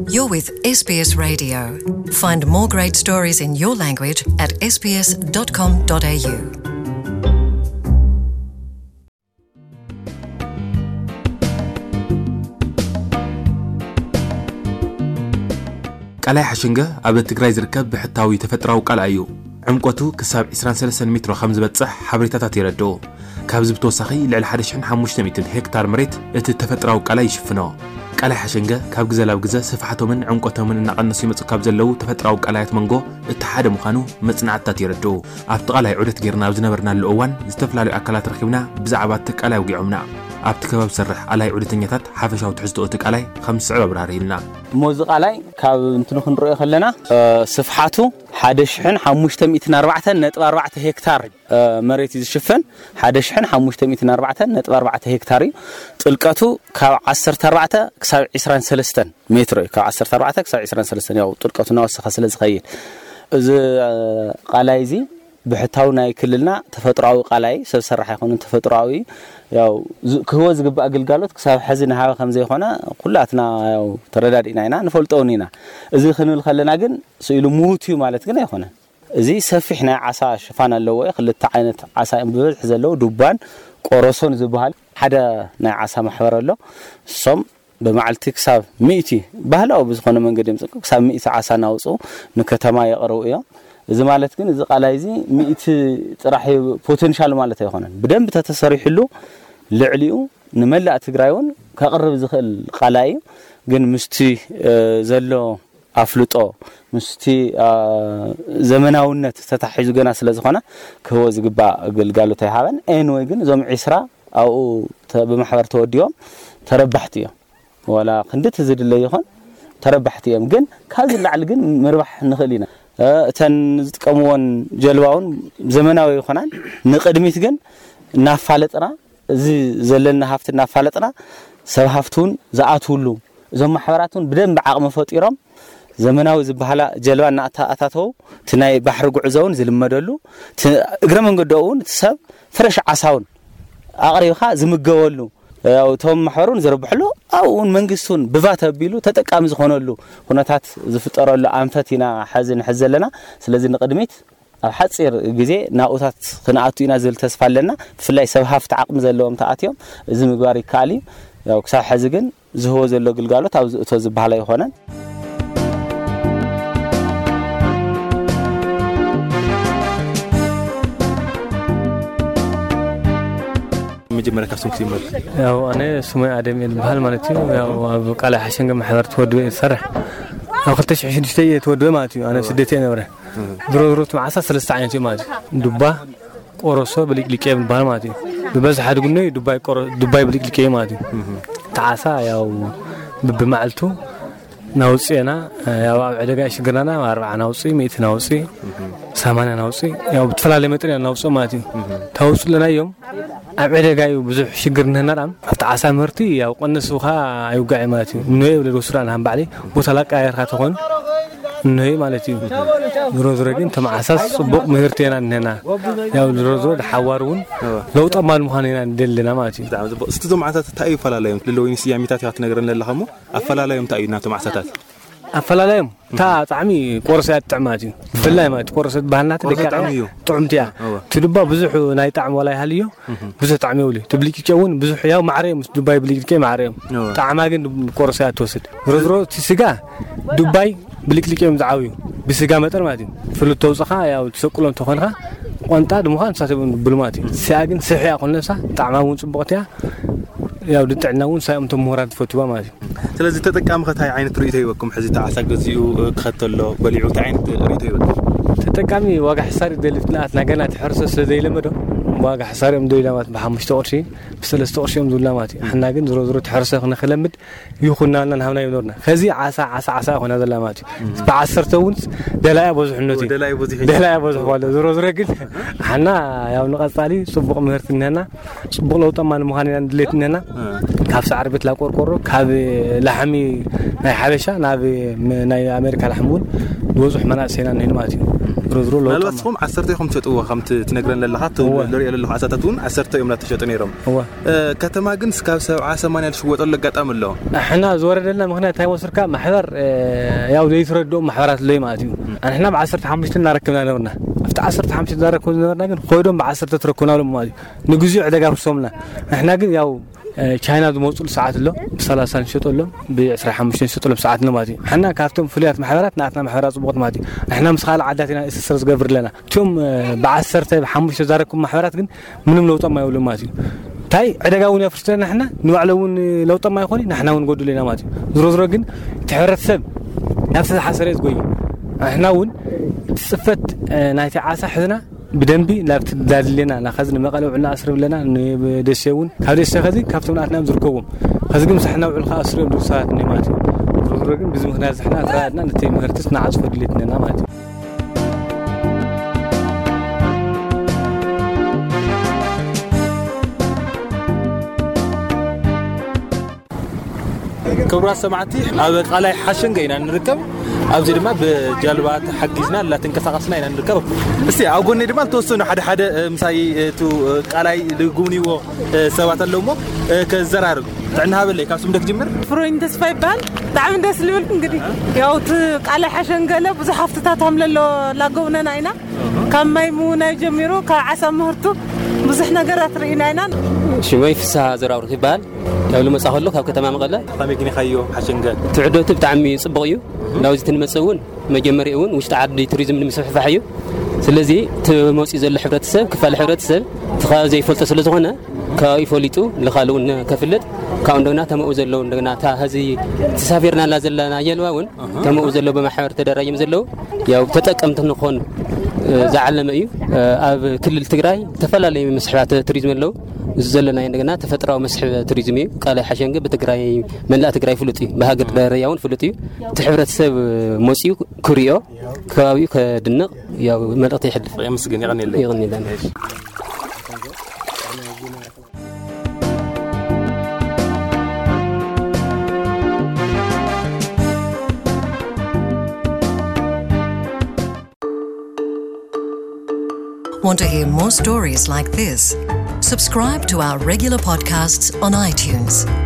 You're with S B S Radio. Find more great stories in your language at S B S dot com dot A U. ቃላይ ሓሸንገ ኣብ ትግራይ ዝርከብ ብሕታዊ ተፈጥራዊ ቃላይ እዩ። ዕምቆቱ ክሳብ ዕስራን ሰለስተን ሜትሮ ከም ዝበጽሕ ሓበሬታታት የረድኡ። ካብዚ ብተወሳኺ ልዕሊ ሓደ ሽሕን ሓሙሽተ ሚእትን ሄክታር መሬት እቲ ተፈጥራዊ ቃላይ ይሽፍኖ። ቃላይ ሓሸንገ ካብ ግዘ ናብ ግዘ ስፍሓቶምን ዕምቆቶምን እናቐነሱ ይመጹ ካብ ዘለዉ ተፈጥራዊ ቃላያት መንጎ እቲ ሓደ ምዃኑ መጽናዕትታት የረድኡ። ኣብቲ ቃላይ ዑደት ጌርና ኣብ ዝነበርናሉ እዋን ዝተፈላለዩ ኣካላት ረኺብና ብዛዕባ እቲ ቃላይ ኣውጊዖምና። ኣብቲ ከባቢ ዝሰርሕ ኣላይ ዑደተኛታት ሓፈሻዊ ትሕዝቶ እቲ ቃላይ ከም ዝስዕብ ኣብራህርህልና። እሞ እዚ ቃላይ ካብ እንትኑ ክንሪኦ ከለና ስፍሓቱ ሓደ ሽሕን ሓሙሽተ ሚእትን ኣርባዕተን ነጥቢ ኣርባዕተ ሄክታር መሬት እዩ ዝሽፍን። ሓደ ሽሕን ሓሙሽተ ሚእትን ኣርባዕተን ነጥቢ ኣርባዕተ ሄክታር እዩ። ጥልቀቱ ካብ ዓሰርተ ኣርባዕተ ክሳብ ዕስራን ሰለስተን ሜትሮ እዩ። ካብ ዓሰርተ ኣርባዕተ ክሳብ ዕስራን ሰለስተን ያው ጥልቀቱ እናወሰኸ ስለ ዝኸይድ፣ እዚ ቃላይ እዚ ብሕታዊ ናይ ክልልና ተፈጥሮኣዊ ቃላይ ሰብ ሰራሕ ኣይኮነን፣ ተፈጥሮኣዊ ያው ክህቦ ዝግባእ ግልጋሎት ክሳብ ሕዚ ንሃበ ከም ዘይኮነ ኩላትና ያው ተረዳዲእና ኢና፣ ንፈልጦ እውን ኢና። እዚ ክንብል ከለና ግን ስኢሉ ምዉት እዩ ማለት ግን ኣይኮነን። እዚ ሰፊሕ ናይ ዓሳ ሽፋን ኣለዎ። ክልተ ዓይነት ዓሳ እዮም ብብዝሒ ዘለዉ፣ ዱባን ቆረሶን ዝበሃል። ሓደ ናይ ዓሳ ማሕበር ኣሎ። እሶም ብመዓልቲ ክሳብ ሚእቲ፣ ባህላዊ ብዝኾነ መንገዲ እዮም ዝጥቅሙ፣ ክሳብ ሚእቲ ዓሳ እናውፅኡ ንከተማ የቕርቡ እዮም። እዚ ማለት ግን እዚ ቃላይ እዚ ሚእቲ ጥራሕ እዩ ፖቴንሻል ማለት ኣይኮነን። ብደንብ ተተሰሪሕሉ ልዕሊኡ ንመላእ ትግራይ እውን ከቕርብ ዝኽእል ቃላይ እዩ። ግን ምስቲ ዘሎ ኣፍልጦ ምስቲ ዘመናውነት ተታሒዙ ገና ስለ ዝኾነ ክህቦ ዝግባእ ግልጋሎት ኣይሃበን። ኤንወይ ግን እዞም ዒስራ ኣብኡ ብማሕበር ተወዲቦም ተረባሕቲ እዮም። ዋላ ክንድቲ ዝድለ ይኾን ተረባሕቲ እዮም። ግን ካብዚ ላዕሊ ግን ምርባሕ ንኽእል ኢና። እተን ዝጥቀምዎን ጀልባ እውን ዘመናዊ ይኾናን ንቕድሚት ግን እናፋለጥና እዚ ዘለና ሃፍቲ እናፋለጥና ሰብ ሃፍቲ እውን ዝኣትውሉ እዞም ማሕበራት እውን ብደንብ ዓቕሚ ፈጢሮም ዘመናዊ ዝበሃላ ጀልባ እናተኣታተው እቲ ናይ ባሕሪ ጉዕዞ እውን ዝልመደሉ እግረ መንገዲ እውን እቲ ሰብ ፍረሽ ዓሳ እውን ኣቕሪብካ ዝምገበሉ እቶም ማሕበር እውን ዝርብሕሉ ኣብኡ እውን መንግስቲ እውን ብቫት ኣቢሉ ተጠቃሚ ዝኾነሉ ኩነታት ዝፍጠረሉ ኣንፈት ኢና ሐዚ ንሕዝ ዘለና። ስለዚ ንቕድሚት ኣብ ሓፂር ግዜ ናብኡታት ክንኣቱ ኢና ዝብል ተስፋ ኣለና። ብፍላይ ሰብ ሃፍቲ ዓቕሚ ዘለዎም ተኣትዮም እዚ ምግባር ይከኣል እዩ። ያው ክሳብ ሕዚ ግን ዝህቦ ዘሎ ግልጋሎት ኣብ ዝእቶ ዝበሃል ኣይኮነን። መጀመርያ ካብ ስም ክትጅምር። ያው ኣነ ስመይ ኣደም እየ ዝበሃል ማለት እዩ። ያው ኣብ ቃላይ ሓሸንገ ማሕበር ተወድበ እየ ዝሰርሕ። ኣብ ክልተ ሽሕን ሽዱሽተን እየ ተወድበ ማለት እዩ። ኣነ ስደት እየ ነብረ። ድሮ ድሮ እቲ መዓሳ ሰለስተ ዓይነት እዩ ማለት እዩ። ዱባ፣ ቆረሶ፣ ብሊቅሊቅ እዮም ዝበሃል ማለት እዩ። ብበዝሒ ኣድግኖ እዩ ዱባይ ቆረ-፣ ዱባይ ብሊቅሊቅ እዩ ማለት እዩ። እቲ ዓሳ ያው ብብመዓልቱ ናውፅእና ያው ኣብ ዕደጋ ይሽግርናና ኣርባዓ ናውፅእ፣ ሚእቲ ናውፅእ፣ ሰማንያ ናውፅእ፣ ያው ብትፈላለየ መጠን ኢና ናውፅእ ማለት እዩ። ታውፅእ ኣለና እዮም ኣብ ዕደጋ እዩ ብዙሕ ሽግር ንህና ዳም ኣብቲ ዓሳ ምህርቲ ያው ቀነስ ብኻ ኣይውጋዕ ማለት እዩ። እኖ ይብል ወስዳ ንሃም ባዕሊ ቦታ ላቃየርካ ተኾን እኖ ማለት እዩ። ዝሮ ዝሮ ግን ተመዓሳስ ጽቡቕ ምህርቲ ኢና ንህና ያው ዝሮ ዝሮ ድሓዋር እውን ለውጠ ማል ምዃን ኢና ንደልና ማለት እዩ። ብጣዕሚ ጽቡቕ። እስቲ እዞም ዓሳታት እንታይ እዩ ፈላለዮም? ልለወይኒ ስያሜታት ኢኻ ትነግረኒ ኣለኻ እሞ ኣፈላለዮም እንታይ እዩ ናቶም ዓሳታት? ኣፈላለዮም እታ ጣዕሚ ቆርሶ እያ ትጥዕም ማለት እዩ። ብፍላይ ማለት ቆርሶ ትበሃል ናተ ደቂ ቆርሶ ጣዕሚ እዩ። ጥዑምቲ እያ። እወ። እቲ ዱባ ብዙሕ ናይ ጣዕሚ ዋላ ይሃልዮ ብዙሕ ጣዕሚ የብሉ። እቲ ብልጭጭ እውን ብዙሕ ያው ማዕረ እዮም። ምስ ዱባይ ብልጭጭ ማዕረ እዮም። እወ። ጣዕማ ግን ቆርሶ እያ ትወስድ። ዝሮ ዝሮ እቲ ስጋ ዱባይ ብልጭልጭ እዮም ዝዓብዩ ብስጋ መጠን ማለት እዩ። ፍሉት ተውፅኻ ያው ትሰቅሎ እንተኾንካ ቆንጣ ድምዃን ንሳት እዮም ብሉ ማለት እዩ። ስያ ግን ስሕ እያ ኮን ነብሳ ጣዕማ እውን ፅቡቕቲ እያ። ያው ድጥዕና እውን ሳይኦም እቶም ምሁራት ዝፈትዋ ማለት እዩ። ስለዚ ተጠቃሚ ከ እንታይ ዓይነት ርእይቶ ይበኩም? ሕዚ እቲ ዓሳ ገዚኡ ክኸተሎ በሊዑ እንታይ ዓይነት ርእይቶ ይበኩም? ተጠቃሚ ዋጋ ሕሳር ይደሊ። እቲ ንኣትና ገና እቲ ሕርሰ ስለ ዘይለመዶ ዋጋ ሕሳር እዮም ደሊላ ማለት ብሓሙሽተ ቅርሺ ብሰለስተ ቅርሺ እዮም ዝብላ ማለት እዩ። ሓና ግን ዝሮ ዝሮ እቲ ሕርሰ ንክለምድ ይኹን ናልና ንሃብና ይኖርና። ከዚ ዓሳ ዓሳ ዓሳ ይኾና ዘላ ማለት እዩ። ብዓሰርተ እውን ደላያ በዝሑ ነቲ ደላያ በዝሑ። ደላያ በዝሑ ዋለ። ዝሮ ዝሮ ግን ሓና ያው ንቐጻሊ ጽቡቕ ምህርቲ እንሄና። ጽቡቕ ለውጣማ ንምዃን ኢና ንድሌት እነና። ካብ ሳዕሪ ቤት ላቆርቆሮ ካብ ላሕሚ ናይ ሓበሻ ናብ ም- ናይ ኣሜሪካ ላሕሚ እውን ዝበፅሑ መናእሰይና እነን ማለት እዩ። ዝሮ ዝሮ ለውጣማ። ምናልባት ንስኹም ዓሰርተ ኢኹም ትሸጥዎ ከምቲ ትነግረን ዘለኻ እቲ እወ። ንሪኦ ዘለኹ ዓሳታት እውን ዓሰርተ እዮም እናተሸጡ ነይሮም። እወ። ከተማ ግን እስካብ ሰብዓ ሰማንያ ዝሽወጠሉ ኣጋጣሚ ኣሎ። ሕና ዝወረደልና ምክንያት እንታይ መስልካ? ማሕበር ያው ዘይትረድኦም ማሕበራት ኣለዩ ማለት እዩ። ንሕና ብ15 እናረክብና ነበርና። ኣብቲ ዓሰርተ ሓሙሽተ እናረክቡ ዝነበርና ግን ኮይዶም ብ10 ትረክብና ሎም ማለት እዩ። ንግዚኡ ዕደጋ ፍሶምና። ንሕና ግን ያው ቻይና ዝመፅሉ ሰዓት ኣሎ፣ ብ30 ንሸጠሎም፣ ብ25 ንሸጠሎም ሰዓት ኣሎ ማለት እዩ። ሕና ካብቶም ፍሉያት ማሕበራት ናትና ማሕበራት ፅቡቕት ማለት እዩ። ንሕና ምስ ካልእ ዓዳት ኢና እስስር ዝገብር ኣለና። እቶም ብ10 ብ5 ዛረኩም ማሕበራት ግን ምንም ለውጦም ኣይብሉ ማለት እዩ። እንታይ ዕደጋ እውን የፍርስ ኣለና ሕና ንባዕሎ እውን ለውጦም ኣይኮኒ ንሕና እውን ጎድሉ ኢና ማለት እዩ። ዝሮ ዝሮ ግን እቲ ሕብረተሰብ ናብ ዝተሓሰረ ዝጎይ ንሕና እውን እቲ ፅፈት ናይቲ ዓሳ ሕዝና ብደንቢ ናብ ትዳድሌና ናኸዚ ንመቐለ ውዕልና ኣስርብ ኣለና ንደሴ እውን ካብ ደሴ ከዚ ካብቶም ናትና እዮም ዝርከብዎም። ከዚ ግን ምሳሕና ውዕል ከዓ ኣስርዮም ድሩ ሰባት እኒ ማለት እዩ። ዝሮ ዝሮ ግን ብዚ ምክንያት ዝሕና ተራድና ነቲ ምህርትስ ንዓፅፎ ድሌት ነና ማለት እዩ። ክቡራት ሰማዕቲ ኣብ ቃላይ ሓሸንገ ኢና ንርከብ። ኣብዚ ድማ ብጃልባ ተሓጊዝና ላተንቀሳቐስና ኢና ንርከብ። እስቲ ኣብ ጎነይ ድማ ዝተወሰኑ ሓደ ሓደ ምሳይ እቲ ቃላይ ዝጉብንይዎ ሰባት ኣለዉ እሞ ከዘራርብ ጥዕና ሃበለይ። ካብ ስም ዶ ክጅምር? ፍሮይን ተስፋ ይበሃል። ብጣዕሚ ደስ ዝብል እንግዲህ ያው እቲ ቃላይ ሓሸንገለ ብዙሕ ሃፍትታት ሃምለሎ ላጎብነና ኢና። ካብ ማይ ምውናይ ጀሚሩ ካብ ዓሳ ምህርቱ ብዙሕ ነገራት ርኢና ኢና። ሽመይ ፍስሃ ዘራውርክ ይበሃል። ካብ ልመጻ ከሎ ካብ ከተማ መቐለ። ከመይ ግን ኢኻዮ ሓሸንገ? ትዕደቱ ብጣዕሚ ጽቡቕ እዩ። ናብዚ ትንመጽእ እውን መጀመሪኡ እውን ውሽጢ ዓዲ ቱሪዝም ንምስፍሕፋሕ እዩ። ስለዚ እቲ መጺኡ ዘሎ ሕብረተሰብ ክፋል ሕብረተሰብ እቲ ከባቢ ዘይፈልጦ ስለ ዝኾነ ከባቢ ፈሊጡ ንኻል እውን ከፍልጥ ካብኡ እንደገና ተመኡ ዘለዉ እንደገና እታ ሀዚ ተሳፊርናላ ዘለና ጀልባ እውን ተመኡ ዘለዉ ብማሕበር ተደራጅም ዘለዉ ያው ተጠቀምቲ ንኾን ዝዓለመ እዩ። ኣብ ክልል ትግራይ ዝተፈላለዩ መስሕባት ቱሪዝም ኣለዉ። እዚ ዘለና እንደገና ተፈጥራዊ መስሕብ ቱሪዝም እዩ። ቃላይ ሓሸንገ ብትግራይ መላእ ትግራይ ፍሉጥ እዩ። ብሃገር ደረጃ እውን ፍሉጥ እዩ። እቲ ሕብረተሰብ መፅዩ ክሪኦ ከባቢኡ ከድንቕ ያው መልእኽቲ ይሕልፍ። የመስግን። የቐንየለይ። የቐንየለይ። Want to hear more stories like this? Subscribe to our regular podcasts on iTunes.